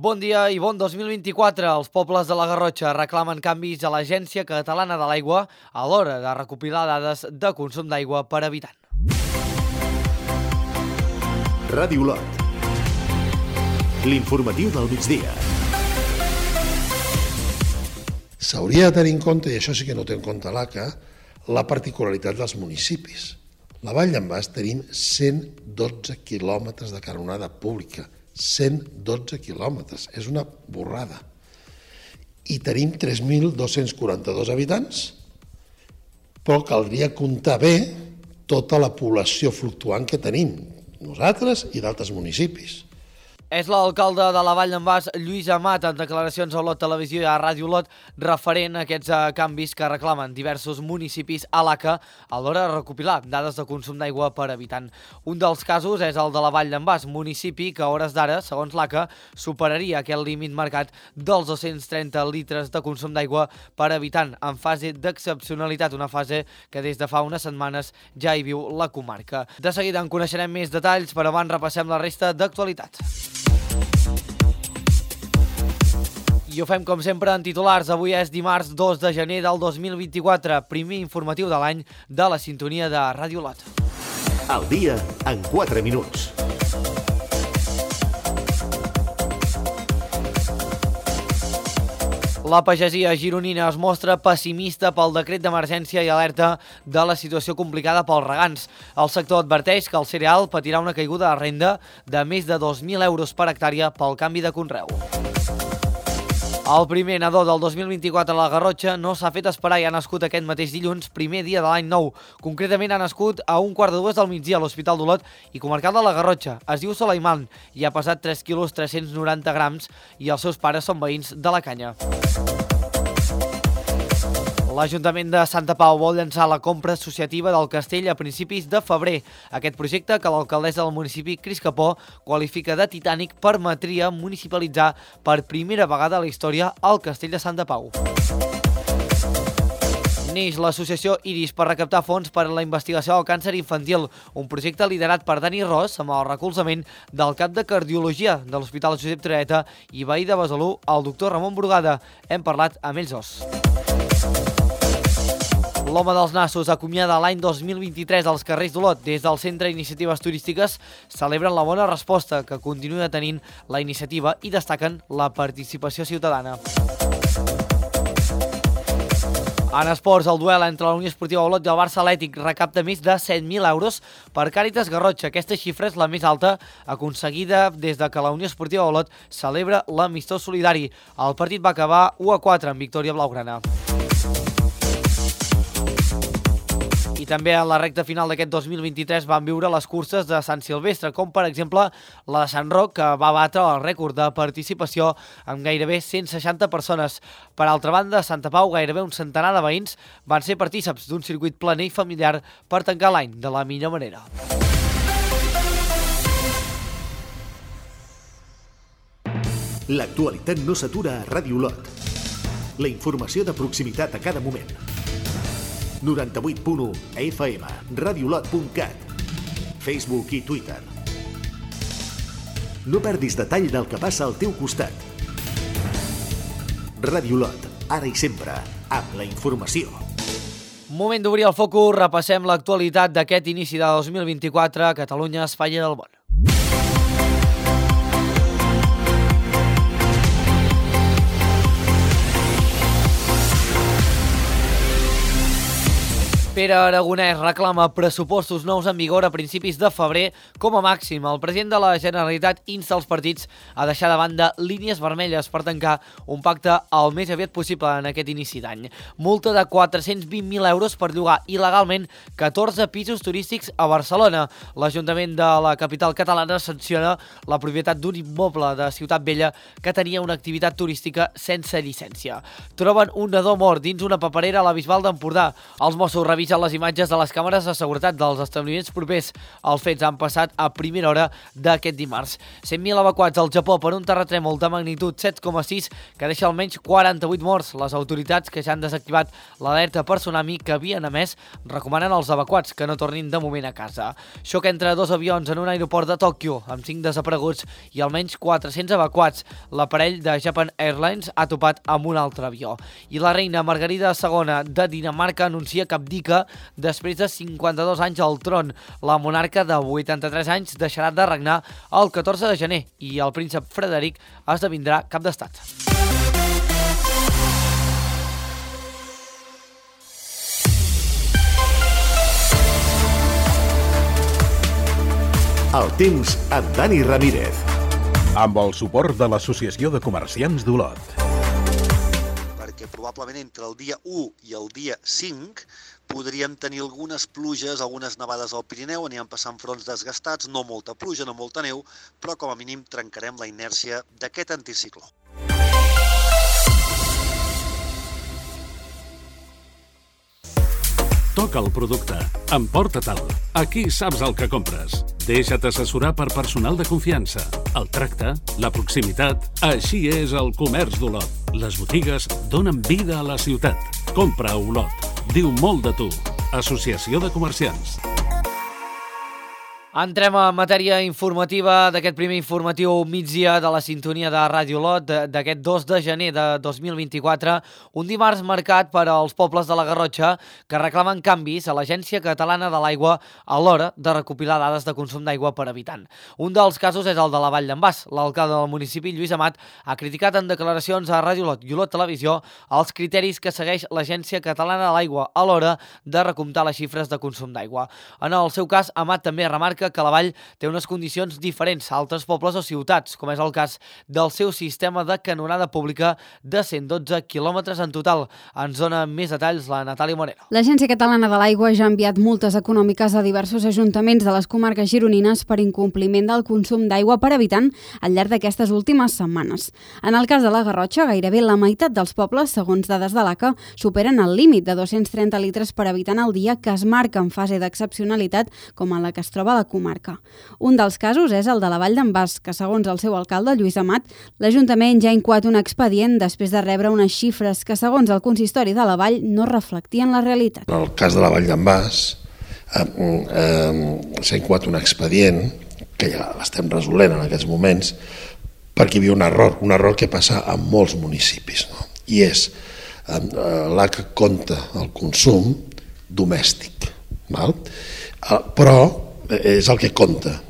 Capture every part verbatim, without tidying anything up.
Bon dia i bon dos mil vint-i-quatre. Els pobles de la Garrotxa reclamen canvis a l'Agència Catalana de l'Aigua a l'hora de recopilar dades de consum d'aigua per habitant. Ràdio Lot. L'informatiu del migdia. S'hauria de tenir en compte, i això sí que no té en compte l'A C A, la particularitat dels municipis. La Vall d'en Bas tenim cent dotze quilòmetres de canonada pública. cent dotze quilòmetres. És una borrada. I tenim tres mil dos-cents quaranta-dos habitants, però caldria comptar bé tota la població fluctuant que tenim, nosaltres i d'altres municipis. És l'alcalde de la Vall d'en Bas, Lluís Amat, en declaracions a Lot Televisió i a Ràdio Lot, referent a aquests canvis que reclamen diversos municipis a l'A C A a l'hora de recopilar dades de consum d'aigua per habitant. Un dels casos és el de la Vall d'en Bas, municipi que a hores d'ara, segons l'A C A, superaria aquest límit marcat dels dos-cents trenta litres de consum d'aigua per habitant, en fase d'excepcionalitat, una fase que des de fa unes setmanes ja hi viu la comarca. De seguida en coneixerem més detalls, però abans repassem la resta d'actualitats. I ho fem com sempre en titulars. Avui és dimarts dos de gener del dos mil vint-i-quatre, primer informatiu de l'any de la sintonia de Ràdio Lot. El dia en quatre minuts. La pagesia gironina es mostra pessimista pel decret d'emergència i alerta de la situació complicada pels regants. El sector adverteix que el cereal patirà una caiguda de renda de més de dos mil euros per hectàrea pel canvi de conreu. El primer nadó del dos mil vint-i-quatre a la Garrotxa no s'ha fet esperar i ha nascut aquest mateix dilluns, primer dia de l'any nou. Concretament ha nascut a un quart de dues del migdia a l'Hospital d'Olot i comarcal de la Garrotxa. Es diu Solaiman i ha pesat tres quilos tres-cents noranta grams i els seus pares són veïns de la Canya. L'Ajuntament de Santa Pau vol llançar la compra associativa del castell a principis de febrer. Aquest projecte, que l'alcaldessa del municipi, Cris Capó, qualifica de titànic, permetria municipalitzar per primera vegada a la història el castell de Santa Pau. Neix l'associació Iris per recaptar fons per a la investigació del càncer infantil, un projecte liderat per Dani Ros amb el recolzament del cap de Cardiologia de l'Hospital Josep Trueta i veí de Besalú, el doctor Ramon Brugada. Hem parlat amb ells dos. L'Home dels Nassos acomiada l'any dos mil vint-i-tres als carrers d'Olot. Des del Centre d'Iniciatives Turístiques celebren la bona resposta que continua tenint la iniciativa i destaquen la participació ciutadana. En esports, el duel entre la Unió Esportiva Olot i el Barça Atlètic recapta més de set mil euros per Càritas Garrotxa. Aquesta xifra és la més alta aconseguida des de que la Unió Esportiva Olot celebra l'amistós solidari. El partit va acabar u a quatre en victòria blaugrana. I també a la recta final d'aquest dos mil vint-i-tres van viure les curses de Sant Silvestre, com per exemple la de Sant Roc, que va batre el rècord de participació amb gairebé cent seixanta persones. Per altra banda, a Santa Pau, gairebé un centenar de veïns van ser partícips d'un circuit planer i familiar per tancar l'any de la millor manera. L'actualitat no s'atura a Ràdio Lot. La informació de proximitat a cada moment. noranta-vuit punt u F M, radiolot punt cat, Facebook i Twitter. No perdis detall del que passa al teu costat. Ràdio Lot, ara i sempre, amb la informació. Moment d'obrir el focus, repassem l'actualitat d'aquest inici de dos mil vint-i-quatre a Catalunya, Espanya del món. Pere Aragonès reclama pressupostos nous en vigor a principis de febrer com a màxim. El president de la Generalitat insta els partits a deixar de banda línies vermelles per tancar un pacte el més aviat possible en aquest inici d'any. Multa de quatre-cents vint mil euros per llogar il·legalment catorze pisos turístics a Barcelona. L'Ajuntament de la capital catalana sanciona la propietat d'un immoble de Ciutat Vella que tenia una activitat turística sense llicència. Troben un nadó mort dins una paperera a la Bisbal d'Empordà. Els Mossos revisen segueixen les imatges de les càmeres de seguretat dels establiments propers. Els fets han passat a primera hora d'aquest dimarts. cent mil evacuats al Japó per un terratrèmol de magnitud set coma sis que deixa almenys quaranta-vuit morts. Les autoritats que ja han desactivat l'alerta per tsunami que havien emès recomanen als evacuats que no tornin de moment a casa. Xoc entre dos avions en un aeroport de Tòquio amb cinc desapareguts i almenys quatre-cents evacuats. L'aparell de Japan Airlines ha topat amb un altre avió. I la reina Margarida segona de Dinamarca anuncia que abdica després de cinquanta-dos anys al tron. La monarca de vuitanta-tres anys deixarà de regnar el catorze de gener i el príncep Frederic esdevindrà cap d'estat. El temps amb Dani Ramírez. Amb el suport de l'Associació de Comerciants d'Olot. Perquè probablement entre el dia u i el dia cinc podríem tenir algunes pluges, algunes nevades al Pirineu, aniran passant fronts desgastats, no molta pluja, no molta neu, però com a mínim trencarem la inèrcia d'aquest anticicló. Toca el producte. Emporta-te'l. Aquí saps el que compres. Deixa't assessorar per personal de confiança. El tracte, la proximitat... Així és el comerç d'Olot. Les botigues donen vida a la ciutat. Compra a Olot. Diu molt de tu. Associació de Comerciants. Entrem a matèria informativa d'aquest primer informatiu migdia de la sintonia de Ràdio Olot d'aquest dos de gener de dos mil vint-i-quatre, un dimarts marcat per als pobles de la Garrotxa que reclamen canvis a l'Agència Catalana de l'Aigua a l'hora de recopilar dades de consum d'aigua per habitant. Un dels casos és el de la Vall d'en Bas. L'alcalde del municipi, Lluís Amat, ha criticat en declaracions a Ràdio Olot i Olot Televisió els criteris que segueix l'Agència Catalana de l'Aigua a l'hora de recomptar les xifres de consum d'aigua. En el seu cas, Amat també remarca que la Vall té unes condicions diferents a altres pobles o ciutats, com és el cas del seu sistema de canonada pública de cent dotze quilòmetres en total. Ens dona més detalls la Natàlia Moreno. L'Agència Catalana de l'Aigua ja ha enviat multes econòmiques a diversos ajuntaments de les comarques gironines per incompliment del consum d'aigua per habitant al llarg d'aquestes últimes setmanes. En el cas de la Garrotxa, gairebé la meitat dels pobles, segons dades de l'A C A, superen el límit de dos-cents trenta litres per habitant al dia que es marca en fase d'excepcionalitat com en la que es troba la comarca. Un dels casos és el de la Vall d'en Bas, que segons el seu alcalde, Lluís Amat, l'Ajuntament ja ha incoat un expedient després de rebre unes xifres que, segons el consistori de la Vall, no reflectien la realitat. En el cas de la Vall d'en Bas, eh, eh, s'ha incoat un expedient, que ja l'estem resolent en aquests moments, perquè hi havia un error, un error que passa a molts municipis, no? I és, eh, l'A C A compta el consum domèstic, val? Eh, però és el que compta,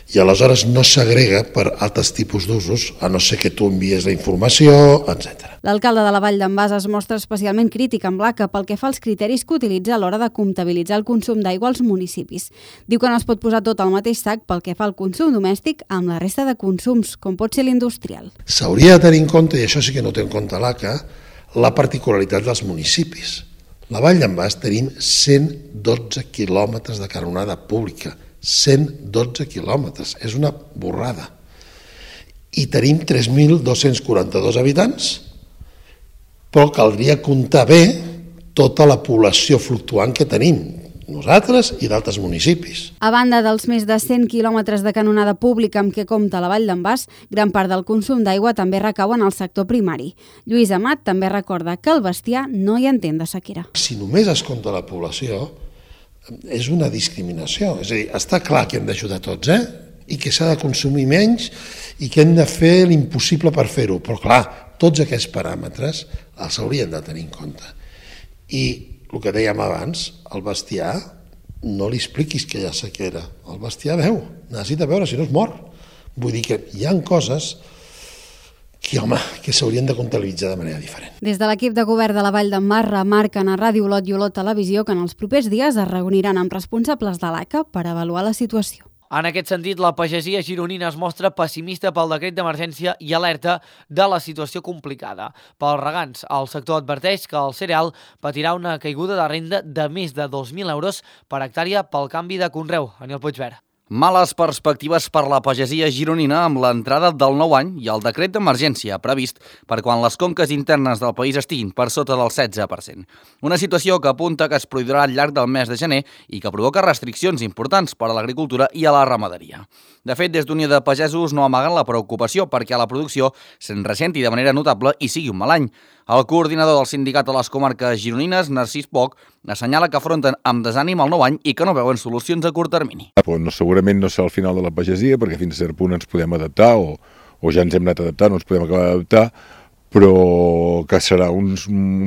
i aleshores no s'agrega per altres tipus d'usos, a no ser que tu envies la informació, etcètera. L'alcalde de la Vall d'en Bas es mostra especialment crític amb l'A C A pel que fa als criteris que utilitza a l'hora de comptabilitzar el consum d'aigua als municipis. Diu que no es pot posar tot al mateix sac pel que fa al consum domèstic amb la resta de consums, com pot ser l'industrial. S'hauria de tenir en compte, i això sí que no té en compte l'A C A, la particularitat dels municipis. La Vall d'en Bas tenim cent dotze quilòmetres de canonada pública, cent dotze quilòmetres, és una borrada. I tenim tres mil dos-cents quaranta-dos habitants, però caldria comptar bé tota la població fluctuant que tenim, nosaltres i d'altres municipis. A banda dels més de cent quilòmetres de canonada pública amb què compta la Vall d'en Bas, gran part del consum d'aigua també recau en el sector primari. Lluís Amat també recorda que el bestiar no hi entén de sequera. Si només es compta la població, és una discriminació. És a dir, està clar que hem d'ajudar tots, eh? I que s'ha de consumir menys i que hem de fer l'impossible per fer-ho. Però clar, tots aquests paràmetres els haurien de tenir en compte. I el que dèiem abans, el bestiar, no li expliquis que hi ha sequera. El bestiar veu, necessita veure, si no es mor. Vull dir que hi ha coses que, home, que s'haurien de comptabilitzar de manera diferent. Des de l'equip de govern de la Vall d'en Bas remarquen a Ràdio Olot i Olot Televisió que en els propers dies es reuniran amb responsables de l'A C A per avaluar la situació. En aquest sentit, la pagesia gironina es mostra pessimista pel decret d'emergència i alerta de la situació complicada. Pels regants, el sector adverteix que el cereal patirà una caiguda de renda de més de dos mil euros per hectàrea pel canvi de conreu. Aniel Puigverd. Males perspectives per la pagesia gironina amb l'entrada del nou any i el decret d'emergència previst per quan les conques internes del país estiguin per sota del setze per cent. Una situació que apunta que es produirà al llarg del mes de gener i que provoca restriccions importants per a l'agricultura i a la ramaderia. De fet, des d'Unió de Pagesos no amaguen la preocupació perquè a la producció se'n ressenti de manera notable i sigui un mal any. El coordinador del sindicat de les comarques gironines, Narcís Poch, assenyala que afronten amb desànim el nou any i que no veuen solucions a curt termini. No, segurament no serà el final de la pagesia, perquè fins a cert punt ens podem adaptar, o, o ja ens hem anat adaptant, no ens podem acabar d'adaptar, però que serà un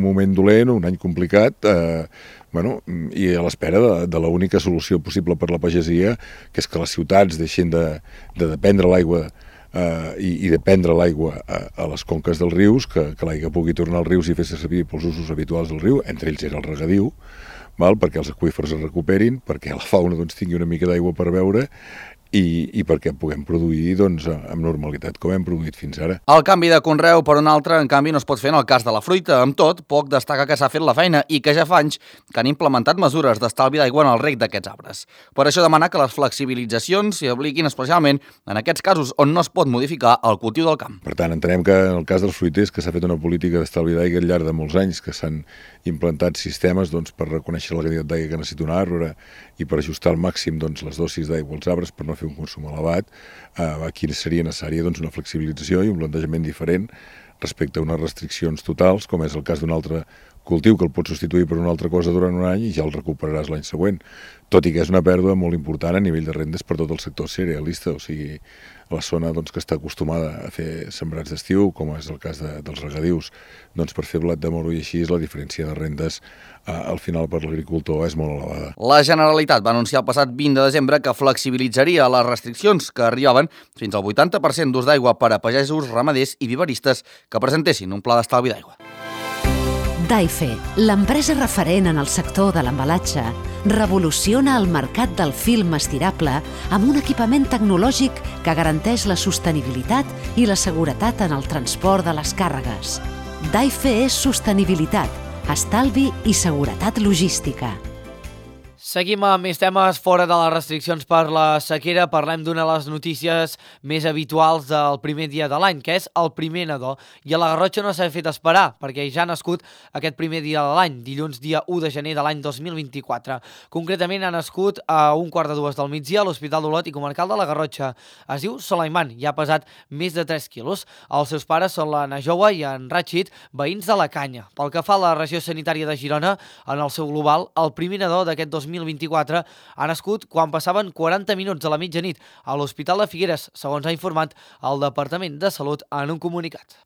moment dolent, un any complicat, eh, bueno, i a l'espera de, de l'única solució possible per la pagesia, que és que les ciutats deixin de, de dependre l'aigua Uh, i, i de prendre l'aigua a, a les conques dels rius, que, que l'aigua pugui tornar als rius i fer-se servir pels usos habituals del riu, entre ells era el regadiu, val? Perquè els aqüífers es recuperin, perquè la fauna doncs, tingui una mica d'aigua per beure i, i perquè puguem produir doncs, amb normalitat com hem produït fins ara. El canvi de conreu per un altre, en canvi, no es pot fer en el cas de la fruita. Amb tot, Poch destaca que s'ha fet la feina i que ja fa anys que han implementat mesures d'estalvi d'aigua en el reg d'aquests arbres. Per això demana que les flexibilitzacions s'hi apliquin especialment en aquests casos on no es pot modificar el cultiu del camp. Per tant, entenem que en el cas dels fruiters que s'ha fet una política d'estalvi d'aigua al llarg de molts anys, que s'han implantat sistemes doncs, per reconèixer la quantitat d'aigua que necessita un arbre i per ajustar al màxim doncs, les dosis d'aigua als arbres per no fer un consum elevat, eh, aquí seria necessària doncs, una flexibilització i un plantejament diferent respecte a unes restriccions totals, com és el cas d'un altre cultiu que el pots substituir per una altra cosa durant un any i ja el recuperaràs l'any següent, tot i que és una pèrdua molt important a nivell de rendes per tot el sector cerealista, o sigui, a la zona doncs, que està acostumada a fer sembrats d'estiu, com és el cas de, dels regadius, doncs per fer blat de moro i així la diferència de rendes eh, al final per l'agricultor és molt elevada. La Generalitat va anunciar el passat vint de desembre que flexibilitzaria les restriccions que arribaven fins al vuitanta per cent d'ús d'aigua per a pagesos, ramaders i viveristes que presentessin un pla d'estalvi d'aigua. Daife, l'empresa referent en el sector de l'embalatge, revoluciona el mercat del film estirable amb un equipament tecnològic que garanteix la sostenibilitat i la seguretat en el transport de les càrregues. Daife és sostenibilitat, estalvi i seguretat logística. Seguim amb més temes fora de les restriccions per la sequera. Parlem d'una de les notícies més habituals del primer dia de l'any, que és el primer nadó. I a la Garrotxa no s'ha fet esperar, perquè ja ha nascut aquest primer dia de l'any, dilluns dia u de gener de l'any dos mil vint-i-quatre. Concretament ha nascut a un quart de dues del migdia a l'Hospital d'Olot i comarcal de la Garrotxa. Es diu Solaiman i ha pesat més de tres quilos. Els seus pares són la Najoa i en Ratxit, veïns de la Canya. Pel que fa a la regió sanitària de Girona, en el seu global, el primer nadó d'aquest dos mil vint-i-quatre ha nascut quan passaven quaranta minuts de la mitjanit a l'Hospital de Figueres, segons ha informat el Departament de Salut en un comunicat.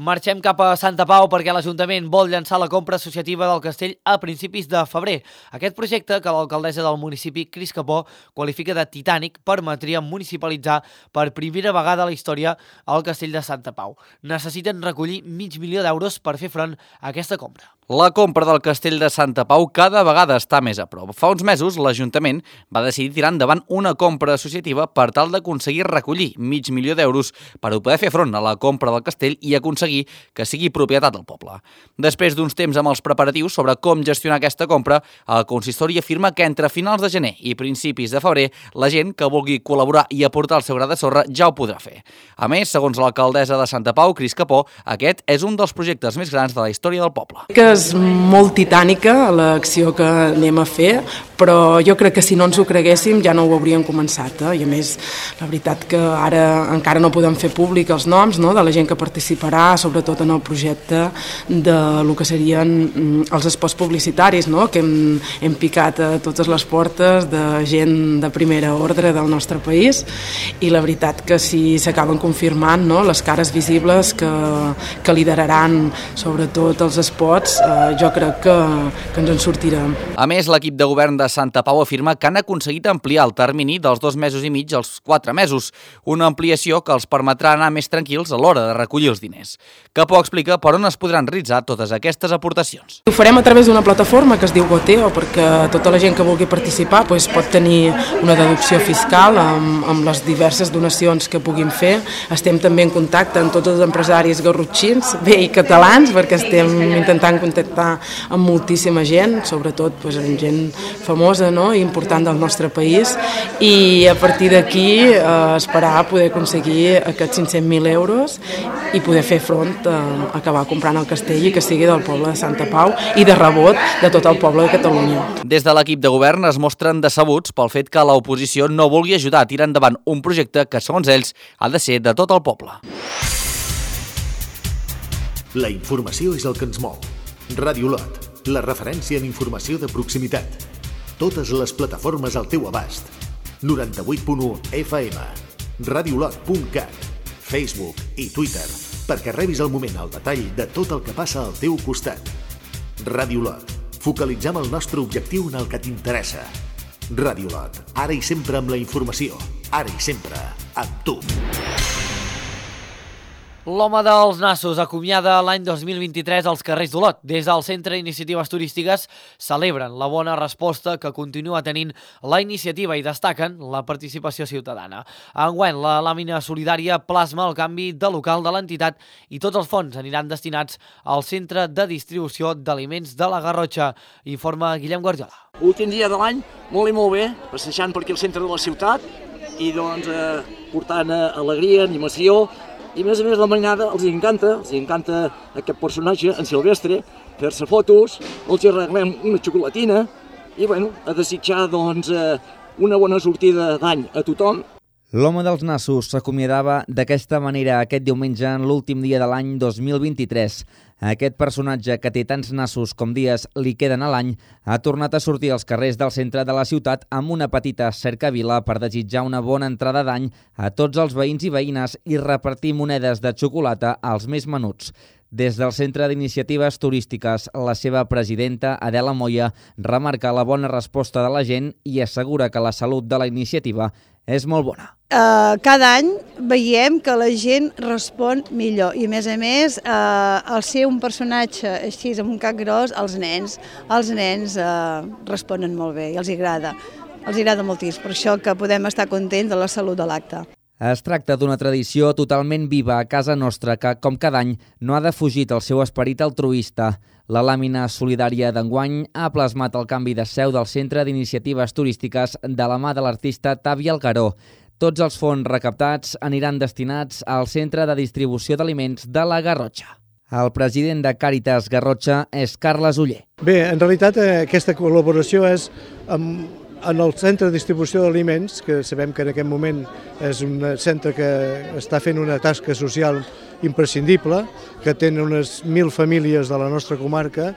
Marxem cap a Santa Pau perquè l'Ajuntament vol llançar la compra associativa del castell a principis de febrer. Aquest projecte, que l'alcaldessa del municipi, Cris Capó, qualifica de titànic, permetria municipalitzar per primera vegada a la història el castell de Santa Pau. Necessiten recollir mig milió d'euros per fer front a aquesta compra. La compra del castell de Santa Pau cada vegada està més a prop. Fa uns mesos, l'Ajuntament va decidir tirar endavant una compra associativa per tal d'aconseguir recollir mig milió d'euros per poder fer front a la compra del castell i aconseguir que sigui propietat del poble. Després d'uns temps amb els preparatius sobre com gestionar aquesta compra, el consistori afirma que entre finals de gener i principis de febrer la gent que vulgui col·laborar i aportar el seu gra de sorra ja ho podrà fer. A més, segons l'alcaldessa de Santa Pau, Cris Capó, aquest és un dels projectes més grans de la història del poble. Que és molt titànica l'acció que anem a fer, però jo crec que si no ens ho creguéssim ja no ho hauríem començat. Eh? I a més, la veritat que ara encara no podem fer públic els noms, no?, de la gent que participarà, sobretot en el projecte de lo que serien els espots publicitaris, no?, que hem, hem picat a totes les portes de gent de primera ordre del nostre país, i la veritat que si s'acaben confirmant, no?, les cares visibles que, que lideraran sobretot els espots, eh, jo crec que, que ens en sortirem. A més, l'equip de govern de Santa Pau afirma que han aconseguit ampliar el termini dels dos mesos i mig als quatre mesos, una ampliació que els permetrà anar més tranquils a l'hora de recollir els diners. Capó explica per on es podran realitzar totes aquestes aportacions. Ho farem a través d'una plataforma que es diu Goteo, perquè tota la gent que vulgui participar doncs, pot tenir una deducció fiscal amb, amb les diverses donacions que puguin fer. Estem també en contacte amb tots els empresaris garrotxins, bé, i catalans, perquè estem intentant contactar amb moltíssima gent, sobretot pues, amb gent famosa, no? I important del nostre país, i a partir d'aquí eh, esperar poder aconseguir aquests cinc-cents mil euros i poder fer front a acabar comprant el castell i que sigui del poble de Santa Pau i de rebot de tot el poble de Catalunya. Des de l'equip de govern es mostren decebuts pel fet que l'oposició no vulgui ajudar a tirar endavant un projecte que, segons ells, ha de ser de tot el poble. La informació és el que ens mou. Ràdio Lot, la referència en informació de proximitat. Totes les plataformes al teu abast. noranta-vuit punt u F M, radiolot punt cat, Facebook i Twitter, perquè rebis al moment el detall de tot el que passa al teu costat. Ràdio Lot, focalitzem el nostre objectiu en el que t'interessa. Ràdio Lot, ara i sempre amb la informació, ara i sempre amb tu. L'home dels nassos acomiada l'any dos mil vint-i-tres als carrers d'Olot. Des del Centre d'Iniciatives Turístiques celebren la bona resposta que continua tenint la iniciativa i destaquen la participació ciutadana. Enguany, la làmina solidària plasma el canvi de local de l'entitat i tots els fons aniran destinats al Centre de Distribució d'Aliments de la Garrotxa, informa Guillem Guardiola. Últim dia de l'any, molt i molt bé, passejant per aquí al centre de la ciutat i doncs eh, portant eh, alegria, animació. I a més a més la mainada els encanta, els encanta aquest personatge, en Silvestre, fer-se fotos, els arreglem una xocolatina i bueno, a desitjar doncs una bona sortida d'any a tothom. L'home dels nassos s'acomiadava d'aquesta manera aquest diumenge en l'últim dia de l'any dos mil vint-i-tres. Aquest personatge, que té tants nassos com dies li queden a l'any, ha tornat a sortir als carrers del centre de la ciutat amb una petita cercavila per desitjar una bona entrada d'any a tots els veïns i veïnes i repartir monedes de xocolata als més menuts. Des del Centre d'Iniciatives Turístiques, la seva presidenta, Adela Moya, remarca la bona resposta de la gent i assegura que la salut de la iniciativa és molt bona. Uh, cada any veiem que la gent respon millor i a més a més uh, al ser un personatge així amb un cap gros, els nens, els nens uh, responen molt bé i els agrada, els agrada moltíssim, per això que podem estar contents de la salut de l'acte. Es tracta d'una tradició totalment viva a casa nostra que, com cada any, no ha defugit el seu esperit altruista. La làmina solidària d'enguany ha plasmat el canvi de seu del Centre d'Iniciatives Turístiques de la mà de l'artista Tavi Algaró. Tots els fons recaptats aniran destinats al Centre de Distribució d'Aliments de la Garrotxa. El president de Càritas Garrotxa és Carles Oller. Bé, en realitat aquesta col·laboració és amb en el Centre de Distribució d'Aliments, que sabem que en aquest moment és un centre que està fent una tasca social imprescindible, que té unes mil famílies de la nostra comarca,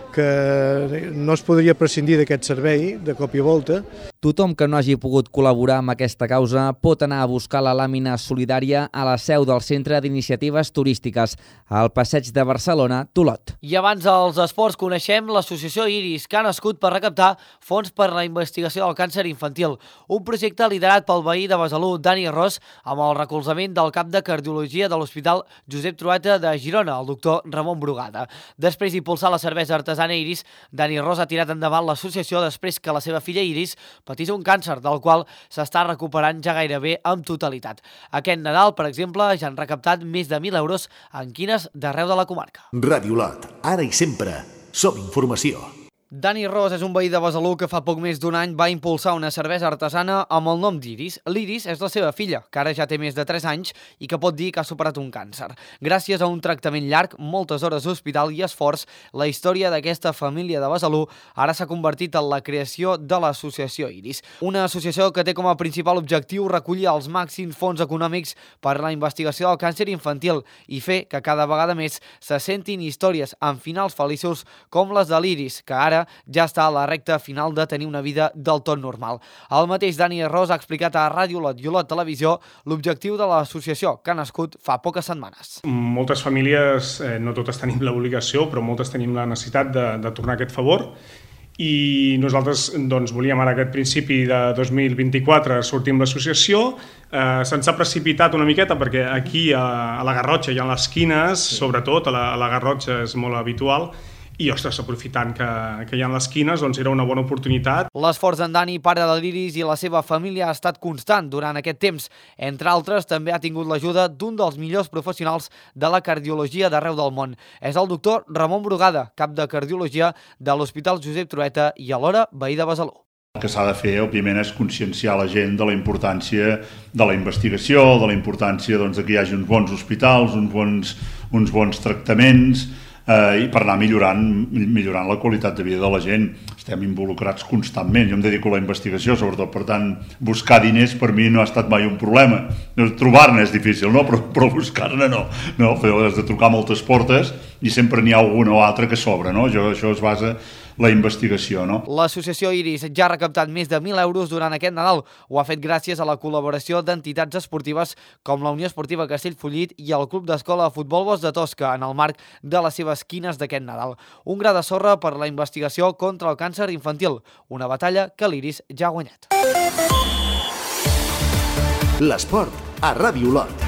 que no es podria prescindir d'aquest servei de cop i volta. Tothom que no hagi pogut col·laborar amb aquesta causa pot anar a buscar la làmina solidària a la seu del Centre d'Iniciatives Turístiques, al Passeig de Barcelona, Tolot. I abans dels esports coneixem l'associació Iris, que ha nascut per recaptar fons per a la investigació del càncer infantil, un projecte liderat pel veí de Besalú, Dani Ros, amb el recolzament del cap de cardiologia de l'Hospital Josep Trueta de Girona, el doctor Ramon Brugada. Després d'impulsar la cervesa artesana Iris, Dani Ros ha tirat endavant l'associació després que la seva filla Iris patís un càncer, del qual s'està recuperant ja gairebé amb totalitat. Aquest Nadal, per exemple, ja han recaptat més de mil euros en quines d'arreu de la comarca. Ràdio Lot, ara i sempre, som informació. Dani Ros és un veí de Besalú que fa poc més d'un any va impulsar una cervesa artesana amb el nom d'Iris. L'Iris és la seva filla, que ara ja té més de tres anys i que pot dir que ha superat un càncer. Gràcies a un tractament llarg, moltes hores d'hospital i esforç, la història d'aquesta família de Besalú ara s'ha convertit en la creació de l'associació Iris. Una associació que té com a principal objectiu recollir els màxims fons econòmics per a la investigació del càncer infantil i fer que cada vegada més se sentin històries amb finals feliços com les de l'Iris, que ara ja està a la recta final de tenir una vida del tot normal. El mateix Dani Ros ha explicat a Ràdio Lot i Olot Televisió l'objectiu de l'associació, que ha nascut fa poques setmanes. Moltes famílies, eh, no totes tenim l'obligació, però moltes tenim la necessitat de, de tornar aquest favor. I nosaltres doncs, volíem ara aquest principi de dos mil vint-i-quatre sortir amb l'associació. Eh, se'ns ha precipitat una miqueta perquè aquí a, a la Garrotxa i a les quines, sobretot a la, a la Garrotxa és molt habitual, i, ostres, aprofitant que, que hi ha les quines, doncs era una bona oportunitat. L'esforç d'en Dani, pare de l'Iris, i la seva família ha estat constant durant aquest temps. Entre altres, també ha tingut l'ajuda d'un dels millors professionals de la cardiologia d'arreu del món. És el doctor Ramon Brugada, cap de cardiologia de l'Hospital Josep Trueta i alhora veí de Besalú. El que s'ha de fer, òbviament, és conscienciar la gent de la importància de la investigació, de la importància doncs, que hi hagi uns bons hospitals, uns bons, uns bons tractaments, eh, i per anar millorant, millorant la qualitat de vida de la gent. Estem involucrats constantment. Jo em dedico a la investigació, sobretot, per tant, buscar diners per mi no ha estat mai un problema. Trobar-ne és difícil, no? però, però buscar-ne no. no. Has de trucar moltes portes i sempre n'hi ha alguna o altra que sobra. No? Jo, això es basa la investigació. No? L'associació Iris ja ha recaptat més de mil euros durant aquest Nadal. Ho ha fet gràcies a la col·laboració d'entitats esportives com la Unió Esportiva Castellfollit i el Club d'Escola de Futbol Bosc de Tosca en el marc de les seves quines d'aquest Nadal. Un gra de sorra per la investigació contra el càncer infantil, una batalla que l'Iris ja ha guanyat. L'esport a Ràdio Olot.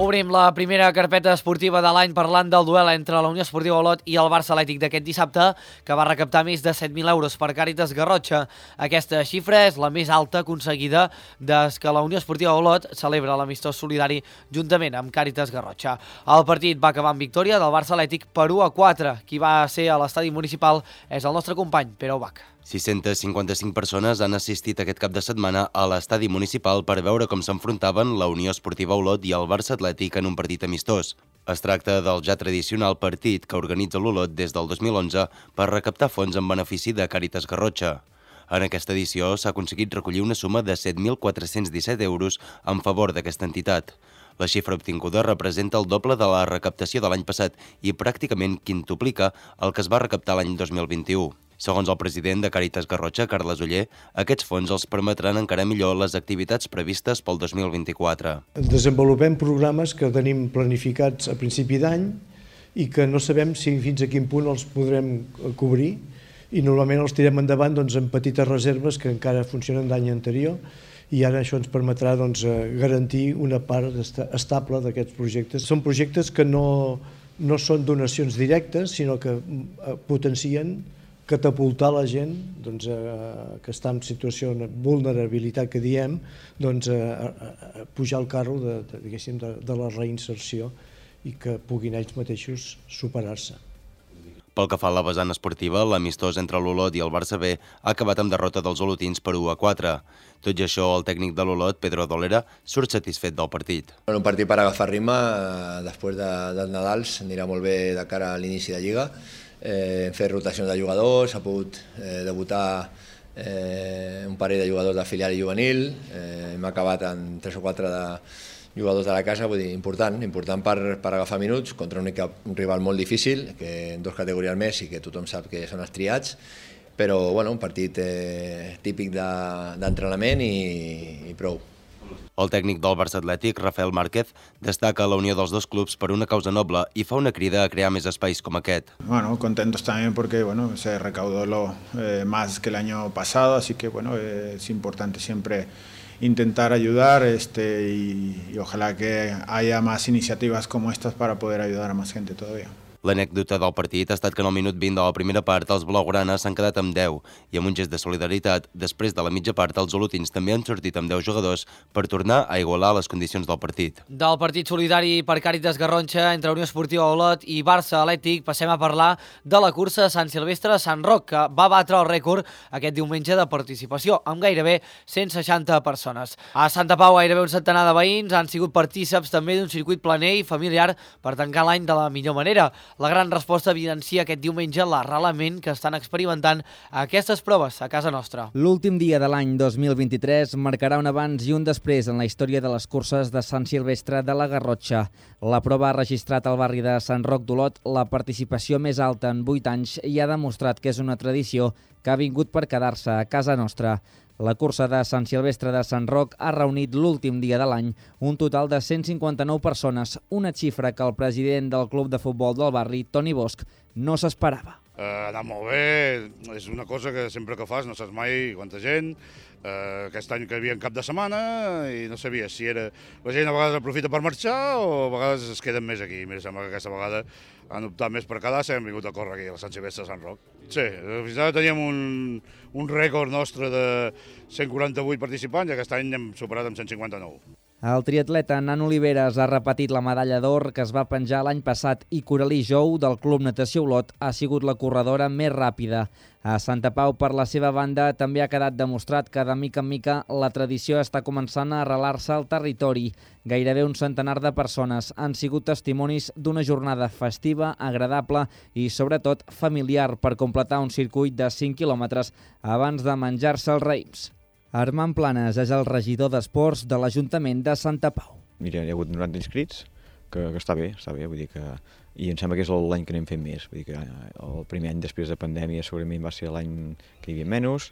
Obrim la primera carpeta esportiva de l'any parlant del duel entre la Unió Esportiva Olot i el Barça Atlètic d'aquest dissabte, que va recaptar més de set mil euros per Càritas Garrotxa. Aquesta xifra és la més alta aconseguida des que la Unió Esportiva Olot celebra l'amistós solidari juntament amb Càritas Garrotxa. El partit va acabar amb victòria del Barça Atlètic per u a quatre. Qui va ser a l'estadi municipal és el nostre company, Pere Obac. sis-centes cinquanta-cinc persones han assistit aquest cap de setmana a l'estadi municipal per veure com s'enfrontaven la Unió Esportiva Olot i el Barça Atlètic en un partit amistós. Es tracta del ja tradicional partit que organitza l'Olot des del dos mil onze per recaptar fons en benefici de Càritas Garrotxa. En aquesta edició s'ha aconseguit recollir una suma de set mil quatre-cents disset euros en favor d'aquesta entitat. La xifra obtinguda representa el doble de la recaptació de l'any passat i pràcticament quintuplica el que es va recaptar l'any dos mil vint-i-u. Segons el president de Càritas Garrotxa, Carles Oller, aquests fons els permetran encara millor les activitats previstes pel dos mil vint-i-quatre. Desenvolupem programes que tenim planificats a principi d'any i que no sabem si fins a quin punt els podrem cobrir i normalment els tirem endavant doncs, en petites reserves que encara funcionen d'any anterior i ara això ens permetrà doncs, garantir una part estable d'aquests projectes. Són projectes que no, no són donacions directes, sinó que potencien catapultar la gent doncs, eh, que està en situació de vulnerabilitat, que diem, doncs, eh, a pujar al carro de, de, de, de la reinserció i que puguin ells mateixos superar-se. Pel que fa a la vessant esportiva, l'amistós entre l'Olot i el Barça B ha acabat amb derrota dels olotins per u a quatre. Tot i això, el tècnic de l'Olot, Pedro Dolera, surt satisfet del partit. Un partit per agafar ritme, després de, dels Nadals, anirà molt bé de cara a l'inici de Lliga. Eh, hem fet rotacions de jugadors, ha pogut eh, debutar eh, un parell de jugadors de filial i juvenil, eh, hem acabat amb tres o quatre de jugadors de la casa, vull dir, important, important per, per agafar minuts contra un, un rival molt difícil, que en dos categories més i que tothom sap que són els triats, però bueno, un partit eh, típic d'entrenament de, i, i prou. El tècnic del Barça Atlètic, Rafael Márquez, destaca la unió dels dos clubs per una causa noble i fa una crida a crear més espais com aquest. Bueno, contentos también porque bueno, se recaudó lo, eh, más que el año pasado, así que bueno, eh, es importante siempre intentar ayudar este, y, y ojalá que haya más iniciativas como estas para poder ayudar a más gente todavía. L'anècdota del partit ha estat que en el minut vint de la primera part els blaugranes s'han quedat amb deu i amb un gest de solidaritat, després de la mitja part els olotins també han sortit amb deu jugadors per tornar a igualar les condicions del partit. Del partit solidari per Càritas Garrotxa entre Unió Esportiva Olot i Barça Atlètic passem a parlar de la cursa Sant Silvestre-Sant Roc, que va batre el rècord aquest diumenge de participació, amb gairebé cent seixanta persones. A Santa Pau gairebé un centenar de veïns han sigut partíceps també d'un circuit planer i familiar per tancar l'any de la millor manera. La gran resposta evidencia aquest diumenge l'arrelament que estan experimentant aquestes proves a casa nostra. L'últim dia de l'any dos mil vint-i-tres marcarà un abans i un després en la història de les curses de Sant Silvestre de la Garrotxa. La prova ha registrat al barri de Sant Roc d'Olot la participació més alta en vuit anys i ha demostrat que és una tradició que ha vingut per quedar-se a casa nostra. La cursa de Sant Silvestre de Sant Roc ha reunit l'últim dia de l'any un total de cent cinquanta-nou persones, una xifra que el president del club de futbol del barri, Toni Bosch, no s'esperava. ha anat molt bé, és una cosa que sempre que fas no saps mai quanta gent. Uh, aquest any que hi havia en cap de setmana i no sabia si era... La gent a vegades aprofita per marxar o a vegades es queden més aquí. Mira, sembla que aquesta vegada han optat més per quedar-se i han vingut a córrer aquí a la Sant Silvestre de Sant Roc. Sí, fins ara teníem un, un rècord nostre de cent quaranta-vuit participants i aquest any hem superat amb cent cinquanta-nou. El triatleta Nan Oliveres ha repetit la medalla d'or que es va penjar l'any passat i Coralí Jou, del Club Natació Olot, ha sigut la corredora més ràpida. A Santa Pau, per la seva banda, també ha quedat demostrat que de mica en mica la tradició està començant a arrelar-se al territori. Gairebé un centenar de persones han sigut testimonis d'una jornada festiva, agradable i, sobretot, familiar per completar un circuit de cinc quilòmetres abans de menjar-se els raïms. Armand Planes és el regidor d'Esports de l'Ajuntament de Santa Pau. Mira, hi ha hagut noranta inscrits, que, que està bé, està bé, vull dir que... I em sembla que és l'any que anem fent més, vull dir que el primer any després de pandèmia segurament va ser l'any que hi havia menys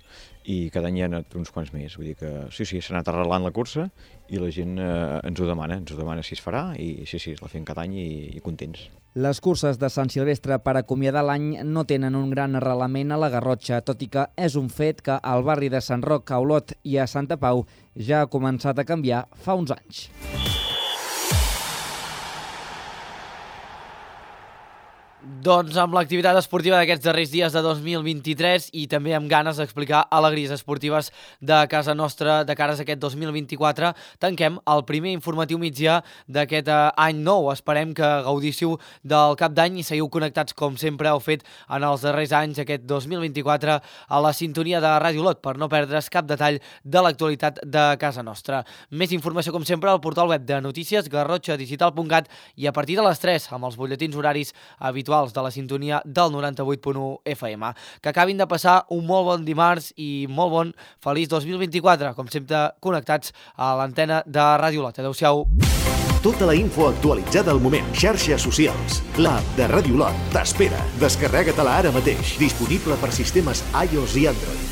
i cada any hi ha anat uns quants més, vull dir que sí, sí, s'ha anat arrelant la cursa i la gent eh, ens ho demana, ens ho demana si es farà i sí, sí, la fem cada any i, i contents. Les curses de Sant Silvestre per acomiadar l'any no tenen un gran arrelament a la Garrotxa, tot i que és un fet que al barri de Sant Roc, a Olot i a Santa Pau ja ha començat a canviar fa uns anys. Doncs amb l'activitat esportiva d'aquests darrers dies de dos mil vint-i-tres i també amb ganes d'explicar alegries esportives de casa nostra de cares a aquest dos mil vint-i-quatre, tanquem el primer informatiu migdia d'aquest any nou. Esperem que gaudissiu del cap d'any i seguiu connectats com sempre heu fet en els darrers anys aquest dos mil vint-i-quatre a la sintonia de Ràdio Olot per no perdre's cap detall de l'actualitat de casa nostra. Més informació com sempre al portal web de notícies garrotxa digital punt cat i a partir de les tres amb els butlletins horaris habituals de la sintonia del noranta-vuit punt u F M. Que acabin de passar un molt bon dimarts i molt bon feliç dos mil vint-i-quatre, com sempre connectats a l'antena de Ràdio Olot. Adéu-siau. Tota la info actualitzada al moment. Xarxes socials. L'app de Ràdio Olot t'espera. Descarrega-te-la ara mateix. Disponible per sistemes iOS i Android.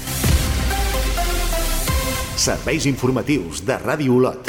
Serveis informatius de Ràdio Olot.